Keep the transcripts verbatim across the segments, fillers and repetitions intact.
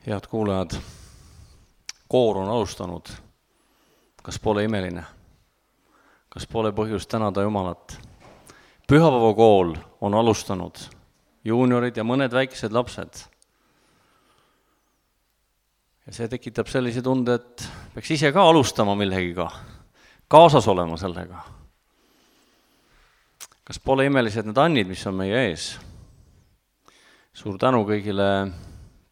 Head kuulajad, koor on alustanud. Kas pole imeline? Kas pole põhjust tänada Jumalat? Pühapäevakool on alustanud. Juuniorid ja mõned väikesed lapsed. Ja see tekitab sellise tunde, et peaks ise ka alustama millegiga, kaasas olema sellega. Kas pole imelised need annid, mis on meie ees? Suur tänu kõigile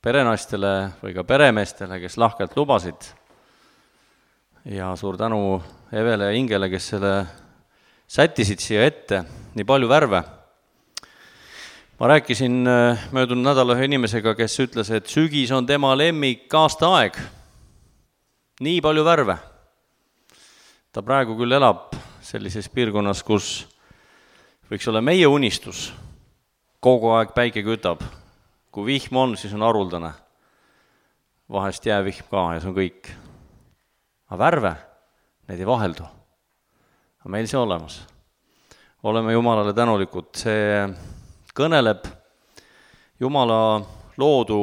perenaistele või ka peremeestele, kes lahkelt lubasid. Ja suur tänu Evele ja Ingele, kes selle sättisid siia ette, nii palju värve. Ma rääkisin möödunud nädala ühe inimesega, kes ütles, et sügis on tema lemmik aasta aeg. Nii palju värve. Ta praegu küll elab sellises piirkonnas, kus võiks olla meie unistus. Kogu aeg päike kütab. Kui vihm on, siis on haruldane. Vahest jäävihm ka ja see on kõik. Aga värve, need ei vaheldu. Aga meil see olemas. Oleme Jumalale tänulikud. See kõneleb Jumala loodu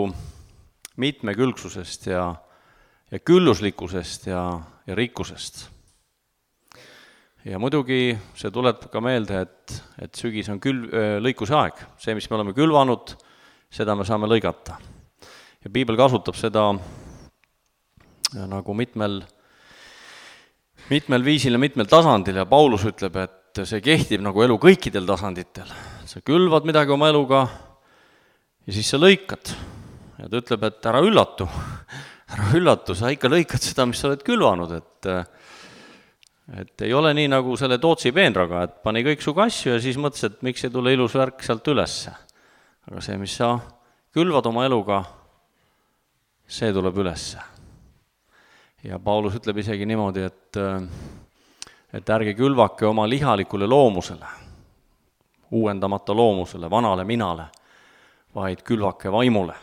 mitmekülgsusest ja, ja külluslikkusest ja, ja rikkusest. Ja muidugi see tuleb ka meelde, et, et sügis on kül, lõikuse aeg. See, mis me oleme külvanud, seda me saame lõigata. Ja piibel kasutab seda nagu mitmel, mitmel viisil ja mitmel tasandil ja Paulus ütleb, et see kehtib nagu elu kõikidel tasanditel. Sa külvad midagi oma eluga ja siis sa lõikad. Ja ta ütleb, et ära üllatu, ära üllatu, sa ikka lõikad seda, mis sa oled külvanud, et, et ei ole nii nagu selle Tootsi peenraga, et pani kõik su kasju ja siis mõtles, et miks ei tule ilus värk sealt ülesse. Aga see, mis sa külvad oma eluga, see tuleb ülesse. Ja Paulus ütleb isegi niimoodi, et, et ärge külvake oma lihalikule loomusele, uuendamata loomusele, vanale minale, vaid külvake vaimule.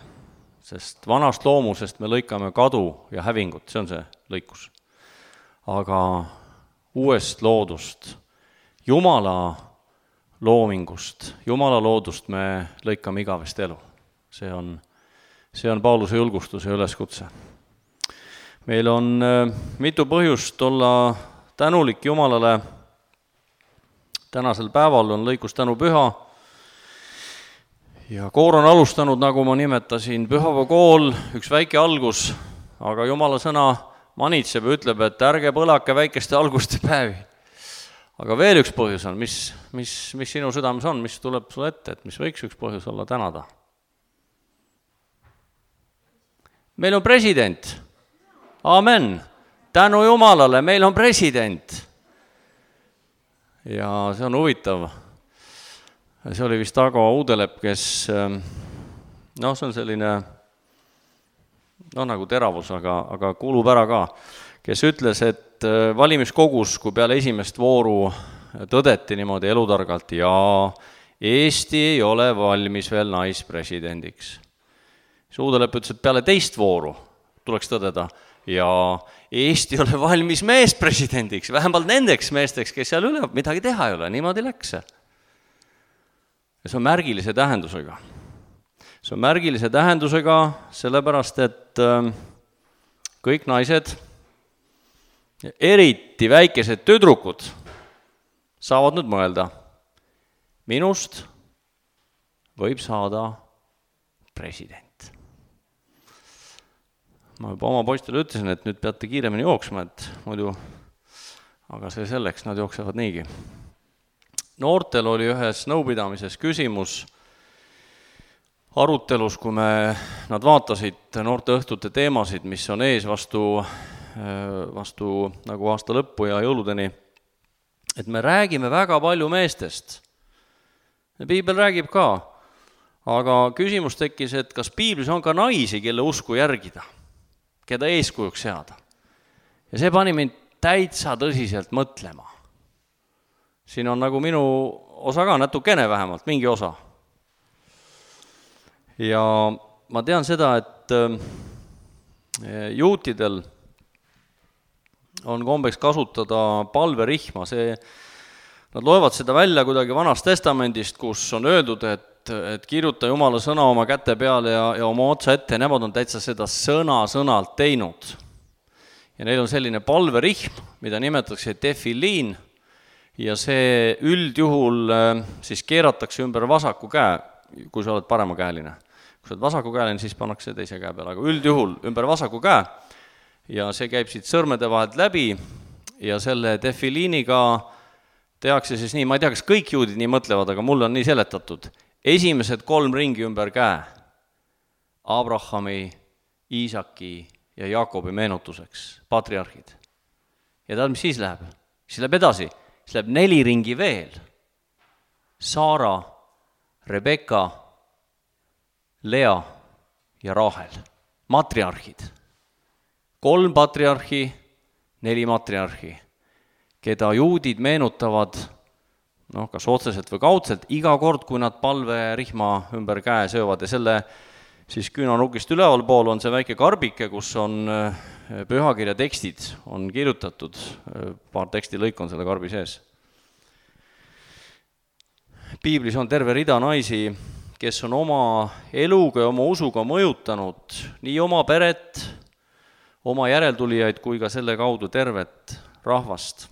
Sest vanast loomusest me lõikame kadu ja hävingut, see on see lõikus. Aga uuest loodust, Jumala loomingust, Jumala loodust me lõikame igavest elu. See on, see on Pauluse julgustus ja üleskutse. Meil on mitu põhjust olla tänulik Jumalale. Tänasel päeval on lõikus tänu püha. Ja koor on alustanud, nagu ma nimetasin, pühapäevakool, üks väike algus, aga Jumala sõna manitseb ja ütleb, et ärge põlake väikeste alguste päevi. Aga veel üks põhjus on, mis, mis, mis sinu südames on, mis tuleb sulle ette, et mis võiks üks põhjus olla tänada. Meil on president. Amen. Tänu Jumalale, meil on president. Ja see on huvitav. See oli vist Ago Uudelepp, kes, noh, see on selline, noh, nagu teravus, aga, aga kuulub ära ka, kes ütles, et valimiskogus, kui peale esimest vooru tõdeti niimoodi elutargalt, ja Eesti ei ole valmis veel naispresidendiks. Suudelepp ütles, et peale teist vooru tuleks tõdeda, ja Eesti ei ole valmis meespresidendiks, vähemalt nendeks meesteks, kes seal üle midagi teha ei ole, niimoodi läks. Ja see on märgilise tähendusega. See on märgilise tähendusega sellepärast, et kõik naised, eriti väikesed tüdrukud saavad nüüd mõelda, minust võib saada president. Ma juba oma poistele ütlesin, et nüüd peate kiiremini jooksma, et muidu, aga see selleks, nad jooksevad niigi. Noortel oli ühes nõupidamises küsimus arutelus, kui me, nad vaatasid noorte õhtute teemasid, mis on ees vastu vastu nagu aasta lõppu ja jõuludeni, et me räägime väga palju meestest. Ja piibel räägib ka, aga küsimus tekkis, et kas piiblis on ka naisi, kelle usku järgida, keda eeskujuks seada. Ja see pani mind täitsa tõsiselt mõtlema. Siin on nagu minu osa ka natukene vähemalt, mingi osa. Ja ma tean seda, et juutidel on kombeks kasutada palverihma. See, nad loevad seda välja kuidagi Vanast Testamendist, kus on öeldud, et et, et kirjuta Jumala sõna oma käte peale ja, ja oma otsa ette, nemad on täitsa seda sõna-sõnalt teinud. Ja neil on selline palverihm, mida nimetatakse defiliin, ja see üldjuhul siis keeratakse ümber vasaku käe, kui sa oled paremakäeline. Kui sa oled vasakukäeline, siis pannakse teise käe peale, aga üldjuhul ümber vasaku käe, ja see käib siit sõrmede vahelt läbi, ja selle defiliiniga tehakse siis nii, ma ei tea, kas kõik juudid nii mõtlevad, aga mulle on nii seletatud, esimesed kolm ringi ümber käe, Abrahami, Iisaki ja Jaakobi meenutuseks, patriarhid. Ja tead, mis siis läheb? Siis läheb edasi, siis läheb neli ringi veel. Saara, Rebeka, Lea ja Rahel, matriarhid. Kolm patriarhi, neli matriarhi, keda juudid meenutavad, noh, kas otseselt või kaudselt, iga kord, kui nad palverihma ümber käe söövad, ja selle siis küünanukist ülevalpool on see väike karbike, kus on pühakirja tekstid, on kirjutatud, paar tekstilõik on selle karbi sees. Piiblis on terve rida naisi, kes on oma eluga ja oma usuga mõjutanud nii oma peret, oma järeltulijaid kui ka selle kaudu tervet rahvast.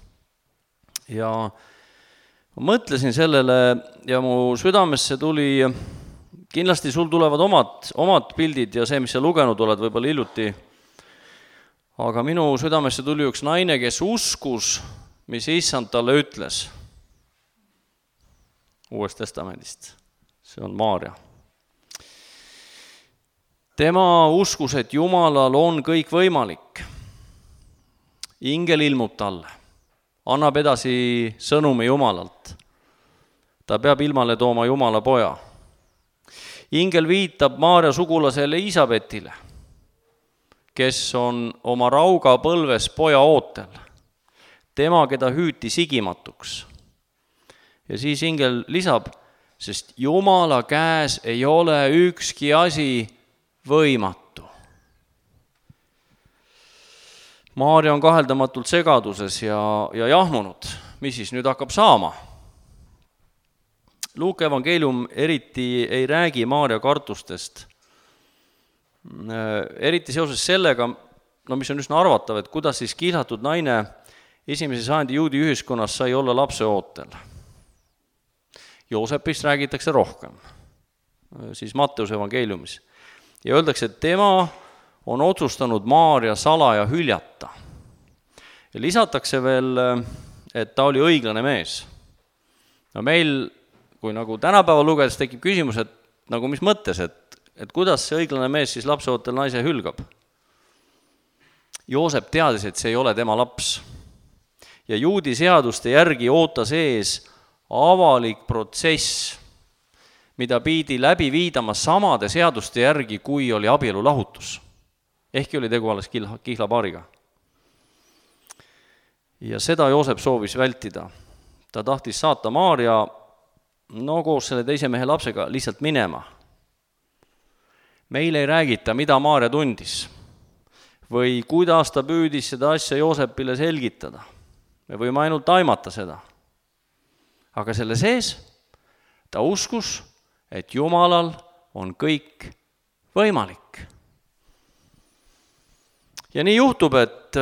Ja ma mõtlesin sellele ja mu südamesse tuli, kindlasti sul tulevad omad, omad pildid ja see, mis sa lugenud oled võib-olla hiljuti, aga minu südamesse tuli üks naine, kes uskus, mis issand talle ütles Uuest Testamendist. See on Maarja. Tema uskus, et Jumalal on kõik võimalik. Ingel ilmub talle, annab edasi sõnumi Jumalalt. Ta peab ilmale tooma Jumala poja. Ingel viitab Maarja sugulasele Elisabetile, kes on oma rauga põlves poja ootel. Tema, keda hüüti sigimatuks. Ja siis ingel lisab, sest Jumala käes ei ole ükski asi võimatu. Maarja on kaheldamatult segaduses ja, ja jahmunud. Mis siis nüüd hakkab saama? Luuke evangeelium eriti ei räägi Maarja kartustest. Eriti seoses sellega, no mis on üsna arvatav, et kuidas siis kihlatud naine esimese sajandi juudi ühiskonnas sai olla lapse ootel. Joosepist räägitakse rohkem, siis Matteuse evangeeliumis. Ja öeldakse, et tema on otsustanud Maarja salaja hüljata. Ja lisatakse veel, et ta oli õiglane mees. No meil, kui nagu tänapäeva lugedes tekib küsimus, et nagu mis mõttes, et, et kuidas see õiglane mees siis lapseootel naise hülgab. Joosep teadis, et see ei ole tema laps. Ja juudi seaduste järgi ootas ees avalik protsess, mida pidi läbi viidama samade seaduste järgi, kui oli abielu lahutus. Ehkki oli tegu alles kihla, kihlapaariga. Ja seda Joosep soovis vältida. Ta tahtis saata Maarja no koos selle teise mehe lapsega lihtsalt minema. Meil ei räägita, mida Maarja tundis või kuidas ta püüdis seda asja Joosepile selgitada. Me võime ainult aimata seda. Aga selle sees ta uskus, et Jumalal on kõik võimalik. Ja nii juhtub, et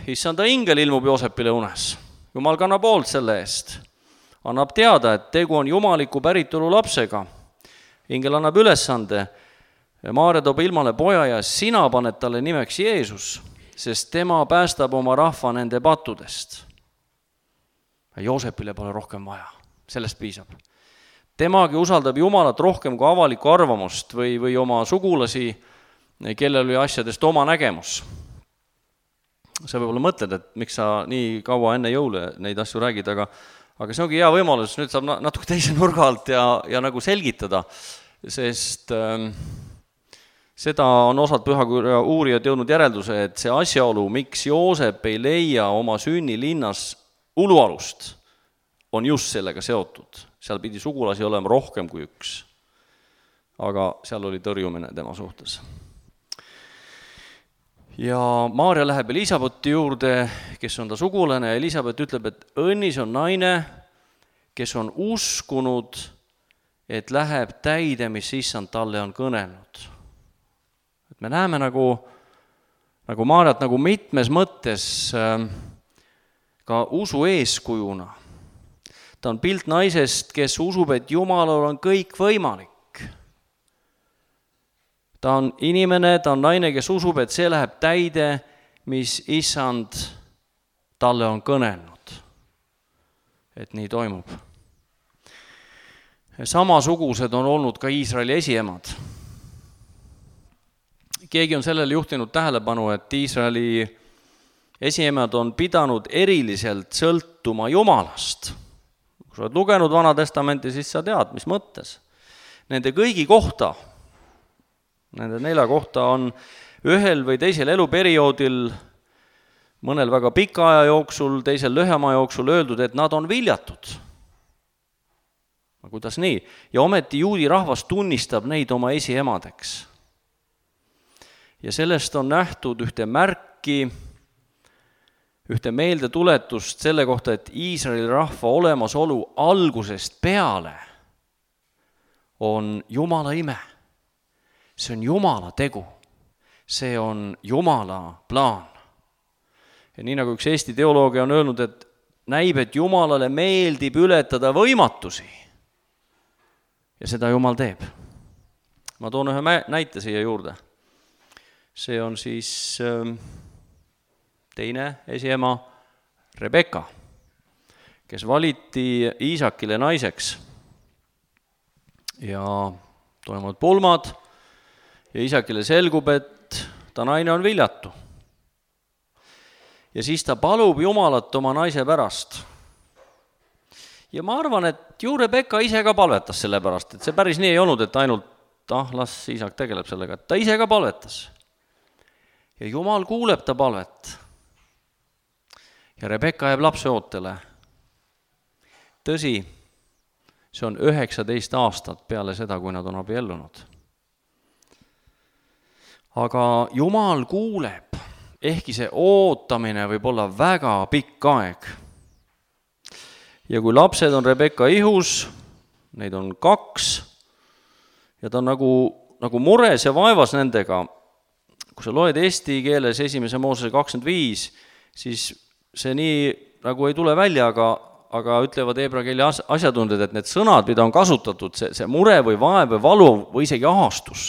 issanda ingel ilmub Joosepile unes. Jumal kannab hoolt selle eest. Annab teada, et tegu on jumaliku päritolu lapsega. Ingel annab ülesande. Maarja toob ilmale poja ja sina paned talle nimeks Jeesus, sest tema päästab oma rahva nende pattudest. Joosepile pole rohkem vaja. Sellest piisab. Temagi usaldab Jumalat rohkem kui avalikku arvamust või, või oma sugulasi, kellel oli asjadest oma nägemus. Sa võib-olla mõtled, et miks sa nii kaua enne jõule neid asju räägid, aga, aga see ongi hea võimalus, nüüd saab natuke teise nurga alt ja, ja nagu selgitada, sest äh, seda on osad pühakirja uurijad jõudnud järelduse, et see asjaolu, miks Joosep ei leia oma sünnilinnas ulualust, on just sellega seotud. Seal pidi sugulasi olema rohkem kui üks, aga seal oli tõrjumine tema suhtes. Ja Maarja läheb Elisabethi juurde, kes on ta sugulane, ja Elisabeth ütleb, et õnnis on naine, kes on uskunud, et läheb täide, mis issand talle on kõnelnud. Et me näeme nagu, nagu Maarjat nagu mitmes mõttes ka usu eeskujuna. Ta on pilt naisest, kes usub, et Jumalal on kõik võimalik. Ta on inimene, ta on naine, kes usub, et see läheb täide, mis issand talle on kõnelnud. Et nii toimub. Samasugused on olnud ka Iisraeli esiemad. Keegi on sellele juhtinud tähelepanu, et Iisraeli esiemad on pidanud eriliselt sõltuma Jumalast. Kui sa oled lugenud Vana Testamenti, siis sa tead, mis mõttes. Nende kõigi kohta, nende nelja kohta on ühel või teisel eluperioodil, mõnel väga pika aja jooksul, teisel lühema jooksul öeldud, et nad on viljatud. Kuidas nii? Ja ometi juudi rahvas tunnistab neid oma esiemadeks. Ja sellest on nähtud ühte märki, ühte meeldetuletust selle kohta, et Iisraeli rahva olemasolu algusest peale on Jumala ime. See on Jumala tegu. See on Jumala plaan. Ja nii nagu üks Eesti teoloogia on öelnud, et näib, et Jumalale meeldib ületada võimatusi. Ja seda Jumal teeb. Ma toon ühe näite siia juurde. See on siis teine esiema Rebeka, kes valiti Iisakile naiseks. Ja toimuvad pulmad ja Iisakile selgub, et ta naine on viljatu. Ja siis ta palub Jumalat oma naise pärast. Ja ma arvan, et ju Rebeka ise ka palvetas selle pärast, et see päris nii ei olnud, et ainult, ah, las Iisak tegeleb sellega, et ta ise ka palvetas. Ja Jumal kuuleb ta palvet. Ja Rebeka jääb lapse ootele. Tõsi, see on üheksateist aastat peale seda, kui nad on abiellunud. Aga Jumal kuuleb, ehkki see ootamine võib olla väga pikk aeg. Ja kui lapsed on Rebeka ihus, neid on kaks, ja ta on nagu, nagu mures ja vaevas nendega. Kui sa loed eesti keeles esimese Moosese kakskümmend viis, siis see nii nagu ei tule välja, aga, aga ütlevad heebrea keeli asjatundjad, et need sõnad, mida on kasutatud, see, see mure või vaev või valu või isegi ahastus.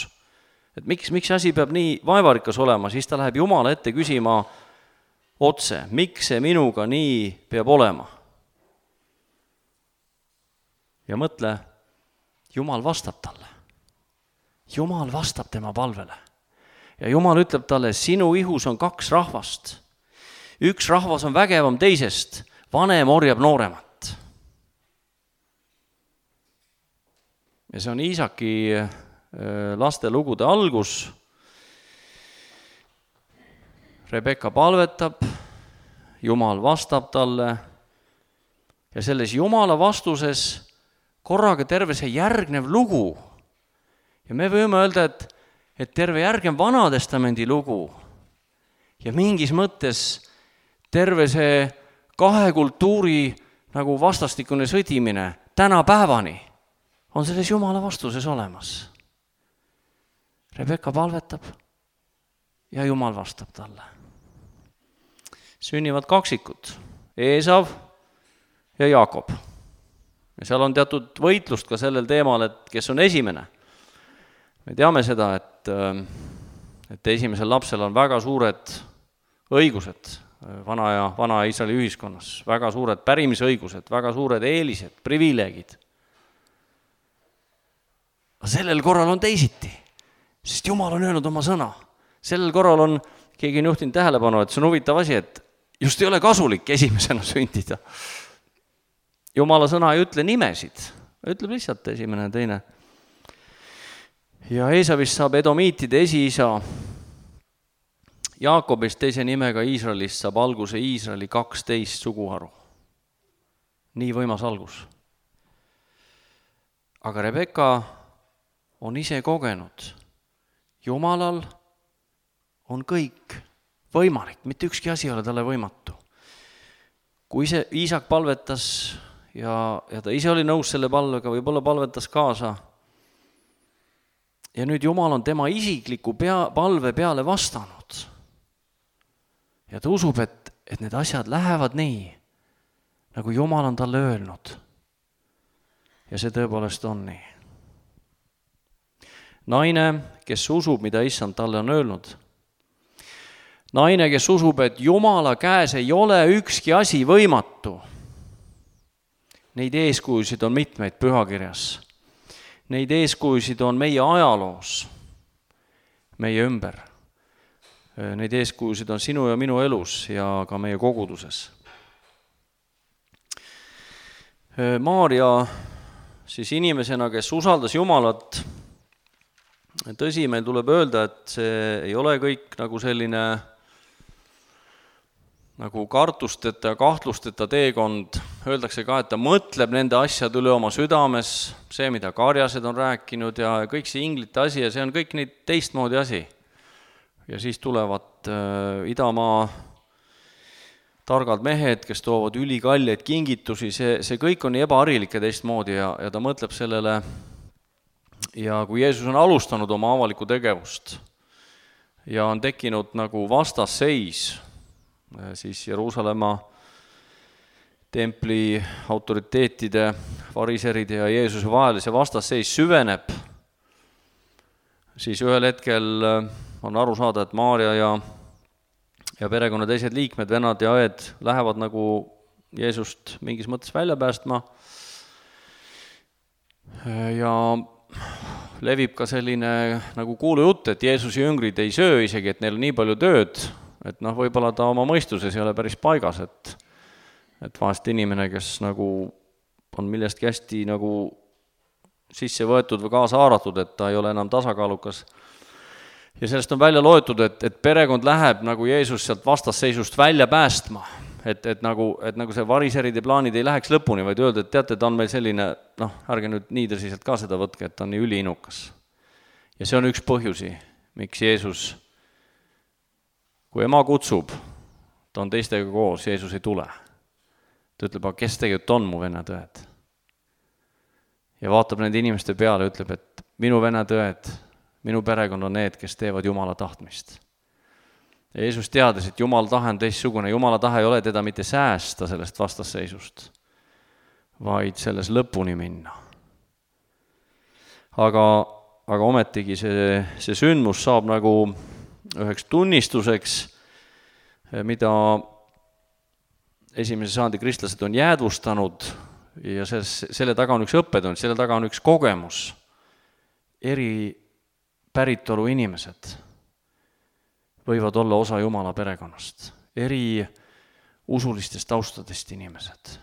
Et miks, miks asi peab nii vaevarikas olema, siis ta läheb Jumala ette küsima otse, miks see minuga nii peab olema. Ja mõtle, Jumal vastab talle. Jumal vastab tema palvele. Ja Jumal ütleb talle, sinu ihus on kaks rahvast. Üks rahvas on vägevam teisest, vanem orjab nooremat. Ja see on Iisaki laste lugude algus. Rebeka palvetab, Jumal vastab talle ja selles Jumala vastuses korraga terve see järgnev lugu. Ja me võime öelda, et, et terve järgnev Vanatestamendi lugu ja mingis mõttes terve see kahe kultuuri nagu vastastikune sõdimine tänapäevani on selles Jumala vastuses olemas. Rebeka palvetab ja Jumal vastab talle. Sünnivad kaksikud, Eesav ja Jaakob. Ja seal on teatud võitlust ka sellel teemal, et kes on esimene. Me teame seda, et, et esimesel lapsel on väga suured õigused vana ja vana Iisraeli ühiskonnas, väga suured pärimisõigused, väga suured eelised, privileegid. Aga sellel korral on teisiti, sest Jumal on öelnud oma sõna. Sellel korral on, keegi on juhtinud tähelepanu, et see on huvitav asi, et just ei ole kasulik esimesena sündida. Jumala sõna ei ütle nimesid, ütleb lihtsalt esimene ja teine. Ja Eesavist saab edomiitide esiisa, Jaakobist teise nimega Iisraelist saab alguse Iisraeli kaksteist suguharu. Nii võimas algus. Aga Rebeka on ise kogenud. Jumalal on kõik võimalik, mitte ükski asi ei ole talle võimatu. Kui see Iisak palvetas ja, ja ta ise oli nõus selle palvega, võib-olla palvetas kaasa. Ja nüüd Jumal on tema isikliku pea, palve peale vastanud. Ja ta usub, et, et need asjad lähevad nii, nagu Jumal on talle öelnud. Ja see tõepoolest on nii. Naine, kes usub, mida issand talle on öelnud. Naine, kes usub, et Jumala käes ei ole ükski asi võimatu. Neid eeskujusid on mitmeid pühakirjas. Neid eeskujusid on meie ajaloos, meie ümber. Neid eeskujusid on sinu ja minu elus ja ka meie koguduses. Maarja siis inimesena, kes usaldas Jumalat, tõsi, meil tuleb öelda, et see ei ole kõik nagu selline nagu kartusteta ja kahtlusteta teekond. Öeldakse ka, et ta mõtleb nende asjad üle oma südames, see, mida karjased on rääkinud ja kõik see inglite asi ja see on kõik neid teistmoodi asi. Ja siis tulevad äh, Idamaa targad mehed, kes toovad ülikalleid kingitusi, see, see kõik on nii ebaharilik ja teistmoodi ja, ja ta mõtleb sellele. Ja kui Jeesus on alustanud oma avalikku tegevust ja on tekkinud nagu vastasseis, siis Jeruusalemma templi autoriteetide, fariseride ja Jeesuse vahel see vastasseis süveneb, siis ühel hetkel on aru saada, et Maarja ja, ja perekonna teised liikmed, vennad ja õed lähevad nagu Jeesust mingis mõttes välja päästma ja levib ka selline nagu kuulujutt, et Jeesuse jüngrid ei söö isegi, et neil on nii palju tööd, et noh, võib-olla ta oma mõistuses ei ole päris paigas, et, et vahest inimene, kes nagu on millestki hästi nagu sisse võetud või kaasa haaratud, et ta ei ole enam tasakaalukas. Ja sellest on välja loetud, et, et perekond läheb nagu Jeesus sealt vastasseisust välja päästma. Et, et, nagu, et nagu see variseride plaanid ei läheks lõpuni, vaid öelda, et teate, ta on meil selline, noh, ärge nüüd nii tõsiselt ka seda võtke, et ta on nii üliinukas. Ja see on üks põhjusi, miks Jeesus, kui ema kutsub, ta on teistega koos, Jeesus ei tule. Ta ütleb, aga kes tegelikult on mu vennad õed? Ja vaatab nende inimeste peale ja ütleb, et minu vennad õed, minu perekond on need, kes teevad Jumala tahtmist. Ja Jeesus teadis, et Jumala tahe on teistsugune. Jumala tahe ei ole teda mitte säästa sellest vastasseisust, vaid selles lõpuni minna. Aga, aga ometigi see, see sündmus saab nagu üheks tunnistuseks, mida esimese sajandi kristlased on jäädvustanud ja selles, selle taga on üks õppetund, selle taga on üks kogemus. Eri päritolu inimesed võivad olla osa Jumala perekonnast. Eri usulistest taustadest inimesed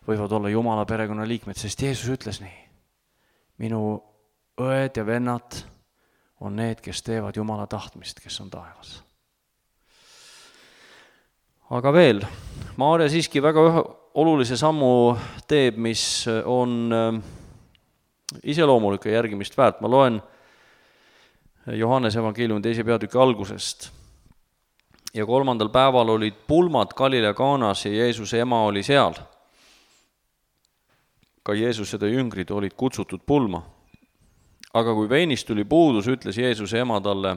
võivad olla Jumala perekonna liikmed, sest Jeesus ütles nii. Minu õed ja vennad on need, kes teevad Jumala tahtmist, kes on taevas. Aga veel, Maarja siiski väga olulise sammu teeb, mis on iseloomulik ja järgimist väärt. Ma loen Johannese evangeeliumi teise peatüki algusest. Ja kolmandal päeval olid pulmad Galilea Kaanas ja Jeesuse ema oli seal. Ka Jeesus ja ta jüngrid olid kutsutud pulma. Aga kui veinist tuli puudus, ütles Jeesuse ema talle,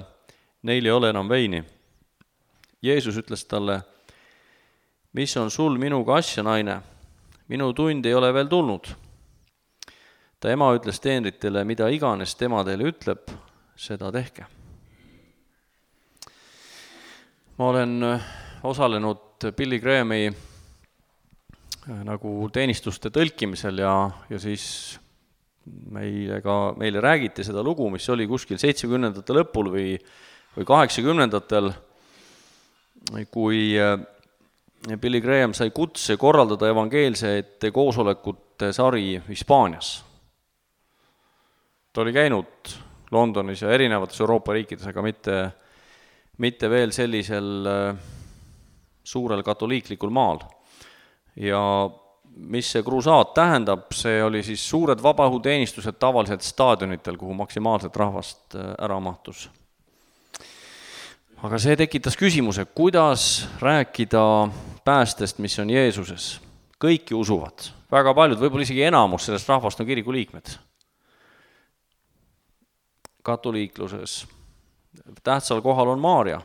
neil ei ole enam veini. Jeesus ütles talle, mis on sul minuga asja, naine? Minu tund ei ole veel tulnud. Ta ema ütles teenritele, mida iganes tema teile ütleb, seda tehke. Ma olen osalenud Billy Grahami nagu teenistuste tõlkimisel ja, ja siis meile, ka, meile räägiti seda lugu, mis oli kuskil seitsmekümnendate lõpul või, või kaheksakümnendatel, kui Billy Graham sai kutse korraldada evangeelsete koosolekute sari Hispaanias. Ta oli käinud Londonis ja erinevates Euroopa riikides, aga mitte, mitte veel sellisel suurel katoliiklikul maal. Ja mis see kruusaat tähendab, see oli siis suured vabahuteenistused tavaliselt staadionitel, kuhu maksimaalselt rahvast ära mahtus. Aga see tekitas küsimuse, kuidas rääkida päästest, mis on Jeesuses. Kõiki usuvad, väga paljud, võib-olla isegi enamus sellest rahvast on kiriku liikmed. Katoliikluses tähtsal kohal on Maaria.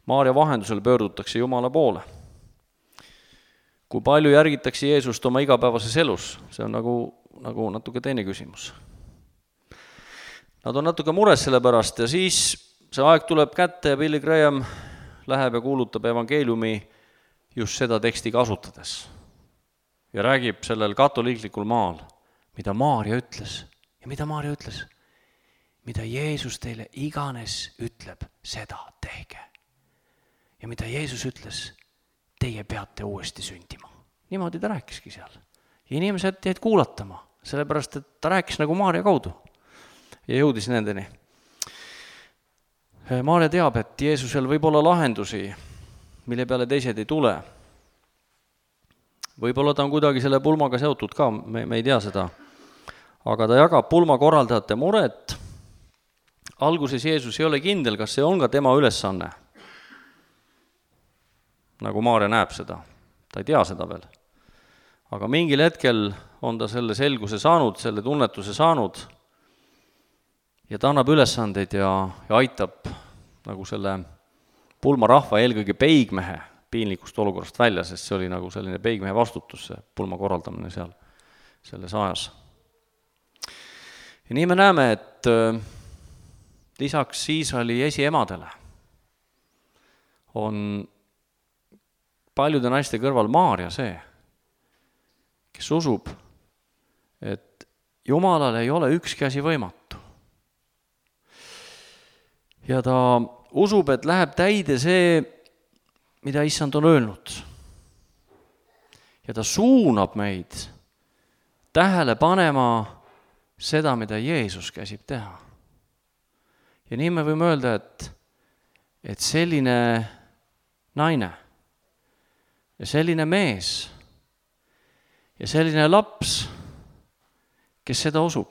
Maaria vahendusel pöördutakse Jumala poole. Kui palju järgitakse Jeesust oma igapäevases elus, see on nagu, nagu natuke teine küsimus. Nad on natuke mures selle pärast ja siis see aeg tuleb kätte ja Billy Graham läheb ja kuulutab evangeeliumi just seda teksti kasutades. Ja räägib sellel katoliiklikul maal, mida Maaria ütles. Ja mida Maaria ütles? Mida Jeesus teile iganes ütleb, seda tehke. Ja mida Jeesus ütles, teie peate uuesti sündima. Niimoodi ta rääkiski seal. Ja inimesed jäid kuulatama, sellepärast, et ta rääkis nagu Maaria kaudu ja jõudis nendeni. Maaria teab, et Jeesusel võib olla lahendusi, mille peale teised ei tule. Võib-olla ta on kuidagi selle pulmaga seotud ka, me, me ei tea seda. Aga ta jagab pulma korraldajate muret. Alguses Jeesus ei ole kindel, kas see on ka tema ülesanne. Nagu Maaria näeb seda. Ta ei tea seda veel. Aga mingil hetkel on ta selle selguse saanud, selle tunnetuse saanud ja ta annab ülesandeid ja, ja aitab nagu selle pulma rahva eelkõige peigmehe piinlikust olukorrast välja, sest see oli nagu selline peigmehe vastutus, see pulma korraldamine seal selles ajas. Ja nii me näeme, et lisaks Iisraeli esiemadele on paljude naiste kõrval Maaria see, kes usub, et Jumalal ei ole ükski asi võimatu. Ja ta usub, et läheb täide see, mida Issand on öelnud. Ja ta suunab meid tähele panema seda, mida Jeesus käsib teha. Ja nii me võime öelda, et, et selline naine ja selline mees ja selline laps, kes seda usub,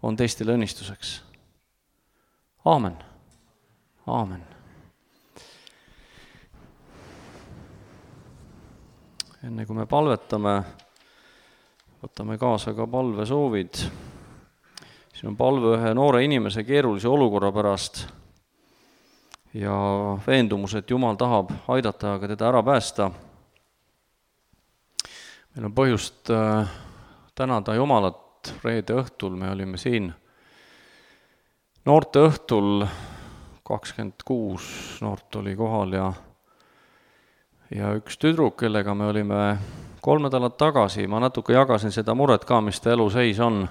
on teistele õnnistuseks. Aamen. Aamen. Enne kui me palvetame, võtame kaasa ka palvesoovid. Siin on palve ühe noore inimese keerulise olukorra pärast ja veendumus, et Jumal tahab aidata aga teda ära päästa. Meil on põhjust tänada Jumalat reede õhtul, me olime siin noorte õhtul, kakskümmend kuus noort oli kohal ja ja üks tüdruk, kellega me olime kolm nädalat tagasi, ma natuke jagasin seda muret ka, mis ta elu seis on.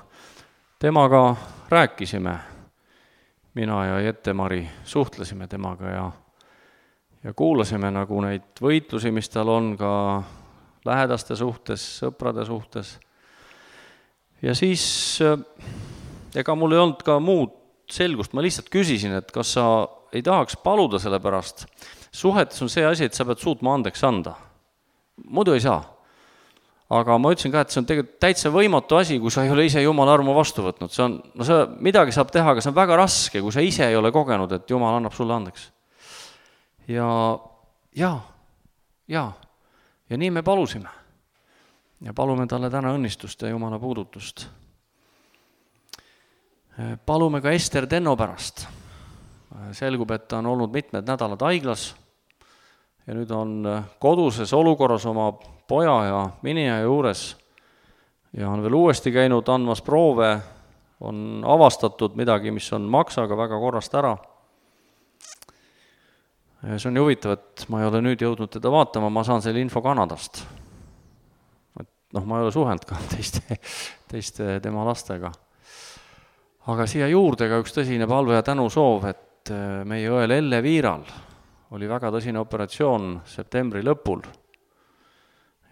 Temaga rääkisime, mina ja Jette-Mari suhtlesime temaga ja, ja kuulasime nagu neid võitlusi, mis tal on ka lähedaste suhtes, sõprade suhtes. Ja siis ega mul ei olnud ka muud selgust, ma lihtsalt küsisin, et kas sa ei tahaks paluda selle pärast. Suhetes on see asi, et sa pead suutma andeks anda. Muidu ei saa. Aga ma ütlesin ka, et see on tegelikult täitsa võimatu asi, kui sa ei ole ise Jumala armu vastu võtnud. See on, no see midagi saab teha, aga see on väga raske, kui sa ise ei ole kogenud, et Jumal annab sulle andeks. Ja, ja, ja, ja nii me palusime. Ja palume talle täna õnnistust ja Jumala puudutust. Palume ka Ester Tenno pärast. Selgub, et ta on olnud mitmed nädalad haiglas ja nüüd on koduses olukorras oma poja ja minija juures ja on veel uuesti käinud andmas proove, on avastatud midagi, mis on maksaga väga korrast ära. See on huvitav, et ma ei ole nüüd jõudnud teda vaatama, ma saan selle info Kanadast. Et noh, ma ei ole suhelnud ka teiste, teiste tema lastega. Aga siia juurde ka üks tõsine palve ja tänu soov, et meie õel Elle Viiral oli väga tõsine operatsioon septembri lõpul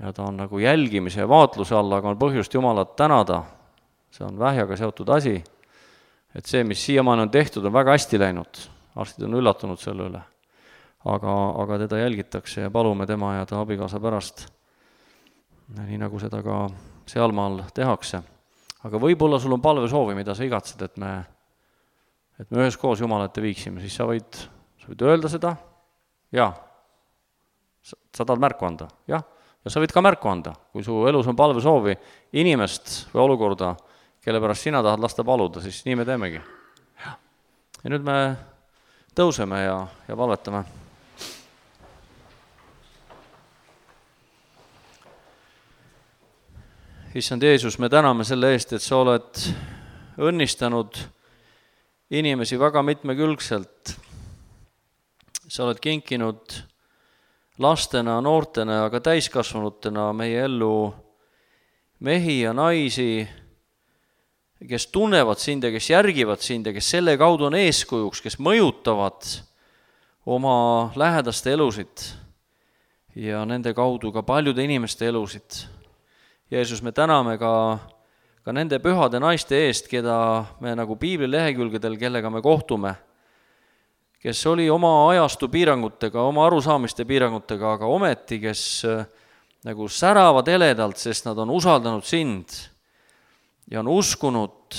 ja ta on nagu jälgimise ja vaatluse all, aga on põhjust Jumalat tänada. See on vähjaga seotud asi, et see, mis siiamaani on tehtud, on väga hästi läinud. Arstid on üllatunud selle üle, aga, aga teda jälgitakse ja palume tema ja ta abikaasa pärast, nii nagu seda ka sealmaal tehakse. Aga võib-olla sul on palve soovi, mida sa igatsed, et me, et me ühes koos Jumalate viiksime, siis sa võid, sa võid öelda seda, jaa, sa, sa tahad märku anda, jah, ja sa võid ka märku anda, kui su elus on palvesoovi inimest või olukorda, kelle pärast sina tahad lasta paluda, siis nii me teemegi. Ja nüüd me tõuseme ja, ja palvetame. Issand Jeesus, me täname selle eest, et sa oled õnnistanud inimesi väga mitmekülgselt. Sa oled kinkinud lastena, noortena, aga täiskasvanutena meie ellu mehi ja naisi, kes tunnevad sind ja kes järgivad sind ja kes selle kaudu on eeskujuks, kes mõjutavad oma lähedaste elusid ja nende kaudu ka paljude inimeste elusid. Jeesus, me täname ka, ka nende pühade naiste eest, keda me nagu piibli lehekülgedel, kellega me kohtume, kes oli oma ajastu piirangutega, oma arusaamiste piirangutega, aga ometi, kes nagu säravad heledalt, sest nad on usaldanud sind ja on uskunud,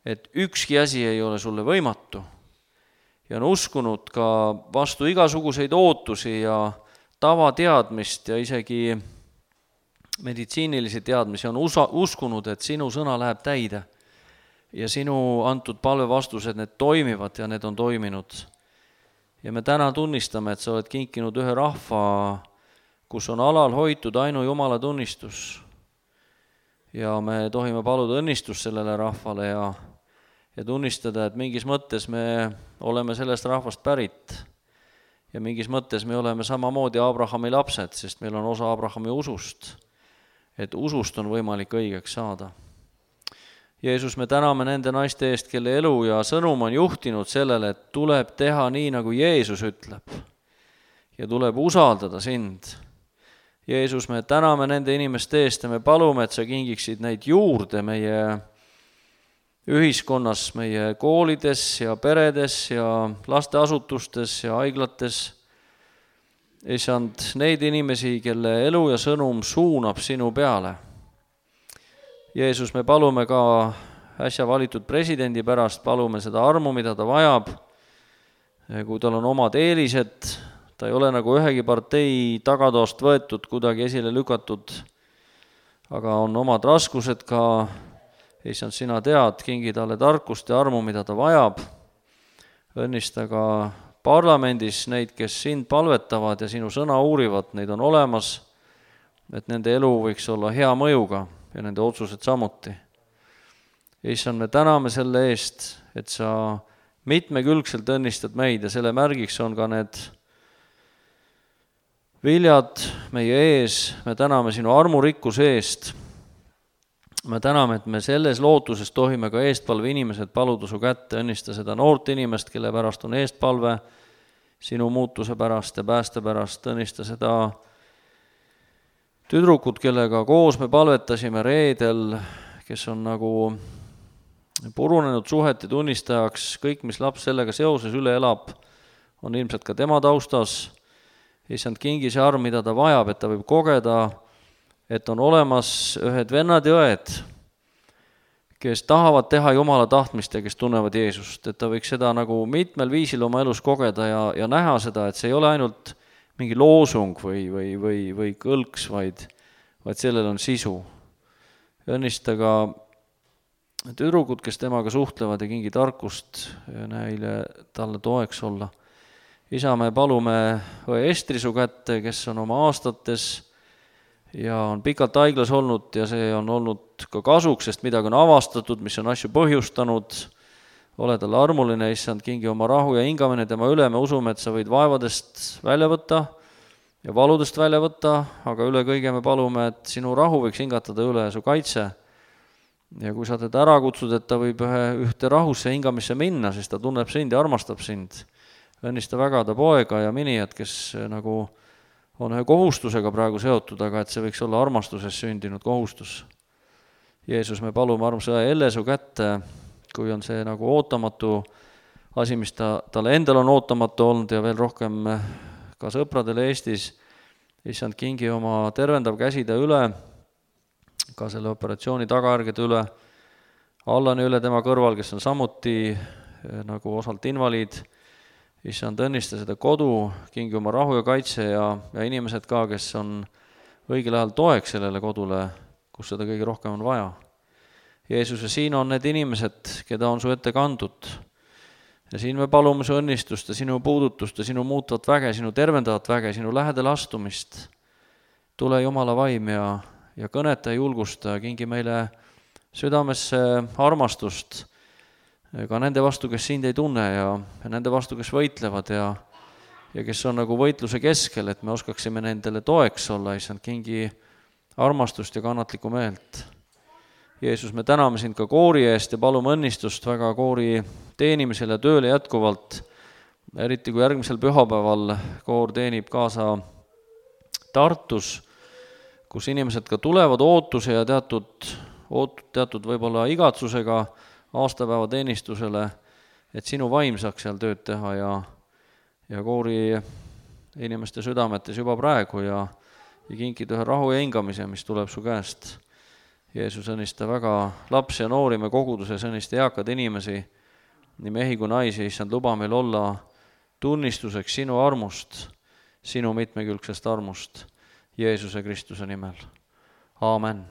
et ükski asi ei ole sulle võimatu. Ja on uskunud ka vastu igasuguseid ootusi ja tavateadmist ja isegi meditsiinilisi teadmisi, on usa, uskunud, et sinu sõna läheb täide ja sinu antud palvevastused, need toimivad ja need on toiminud. Ja me täna tunnistame, et sa oled kinkinud ühe rahva, kus on alal hoitud ainu Jumala tunnistus. Ja me tohime paluda õnnistust sellele rahvale ja, ja tunnistada, et mingis mõttes me oleme sellest rahvast pärit ja mingis mõttes me oleme samamoodi Abrahami lapsed, sest meil on osa Abrahami usust, et usust on võimalik õigeks saada. Jeesus, me täname nende naiste eest, kelle elu ja sõnum on juhtinud sellele, et tuleb teha nii, nagu Jeesus ütleb ja tuleb usaldada sind. Jeesus, me täname nende inimeste eest ja me palume, et sa kingiksid neid juurde meie ühiskonnas, meie koolides ja peredes ja lasteasutustes ja haiglates. Issand, neid inimesi, kelle elu ja sõnum suunab sinu peale. Jeesus, me palume ka äsja valitud presidendi pärast, palume seda armu, mida ta vajab, kui tal on omad eelised, ta ei ole nagu ühegi partei tagatoost võetud, kuidagi esile lükatud, aga on omad raskused ka. Issand, sina tead, kingi talle tarkust ja armu, mida ta vajab. Õnnista ka parlamendis neid, kes sind palvetavad ja sinu sõna uurivad, neid on olemas, et nende elu võiks olla hea mõjuga ja nende otsused samuti. Issand, me täname selle eest, et sa mitmekülgselt õnnistad meid ja selle märgiks on ka need viljad meie ees. Me täname sinu armurikkuse eest. Me täname, et me selles lootuses tohime ka eestpalve inimesed paluda su kätte, õnnista seda noort inimest, kelle pärast on eestpalve, sinu muutuse pärast ja pääste pärast, õnnista seda tüdrukut, kellega koos me palvetasime reedel, kes on nagu purunenud suhete tunnistajaks, kõik, mis laps sellega seoses üle elab, on ilmselt ka tema taustas. Issand, kingi see arm, mida ta vajab, et ta võib kogeda, et on olemas ühed vennad ja õed, kes tahavad teha Jumala tahtmist ja kes tunnevad Jeesust, et ta võiks seda nagu mitmel viisil oma elus kogeda ja, ja näha seda, et see ei ole ainult mingi loosung või, või, või, või kõlks, vaid, vaid sellel on sisu. Õnnista ka tüdrukud, kes temaga suhtlevad ja kingi tarkust ja neile talle toeks olla. Isa, me palume õe Estri su kätte, kes on oma aastates ja on pikalt haiglas olnud ja see on olnud ka kasuks, sest midagi on avastatud, mis on asju põhjustanud. Ole talle armuline, issand, kingi oma rahu ja hingamine tema üle, me usume, et sa võid vaevadest välja võtta ja valudest välja võtta, aga üle kõige me palume, et sinu rahu võiks hingatada üle su kaitse. Ja kui sa teda ära kutsud, et ta võib ühe, ühte rahusse hingamisse minna, siis ta tunneb sind ja armastab sind. Õnnista väga ta poega ja minijad, kes nagu on ühe kohustusega praegu seotud, aga et see võiks olla armastuses sündinud kohustus. Jeesus, me palume armsa Elle su kätte, kui on see nagu ootamatu asi, mis ta, talle endal on ootamatu olnud ja veel rohkem ka sõpradele Eestis. Issand, kingi oma tervendav käsi ta üle, ka selle operatsiooni tagajärgede üle, Allani üle tema kõrval, kes on samuti nagu osalt invaliid. Issand, õnnista seda kodu, kingi oma rahu ja kaitse ja, ja inimesed ka, kes on õigel ajal toeks sellele kodule, kus seda kõige rohkem on vaja. Jeesuse, siin on need inimesed, keda on su ette kandud. Ja siin me palume su õnnistust ja sinu puudutust ja sinu muutvat väge, sinu tervendavat väge, sinu lähedale astumist. Tule Jumala vaim ja, ja kõneta ja julgusta, kingi meile südamesse armastust ka nende vastu, kes sind ei tunne ja, ja nende vastu, kes võitlevad ja, ja kes on nagu võitluse keskel, et me oskaksime nendele toeks olla, issand, kingi armastust ja kannatlikku meelt. Jeesus, me täname sind ka koori eest ja palume õnnistust väga koori teenimisel ja tööle jätkuvalt, eriti kui järgmisel pühapäeval koor teenib kaasa Tartus, kus inimesed ka tulevad ootuse ja teatud, oot, teatud võib-olla igatsusega aastapäeva teenistusele, et sinu vaim saaks seal tööd teha ja, ja koori inimeste südametes juba praegu ja, ja kinkida ühe rahu ja hingamise, mis tuleb su käest. Jeesus, õnnista väga lapsi ja noori me koguduses, õnnista eakad inimesi, nii mehi kui naisi, issand, luba meil olla tunnistuseks sinu armust, sinu mitmekülgsest armust, Jeesuse Kristuse nimel. Aamen.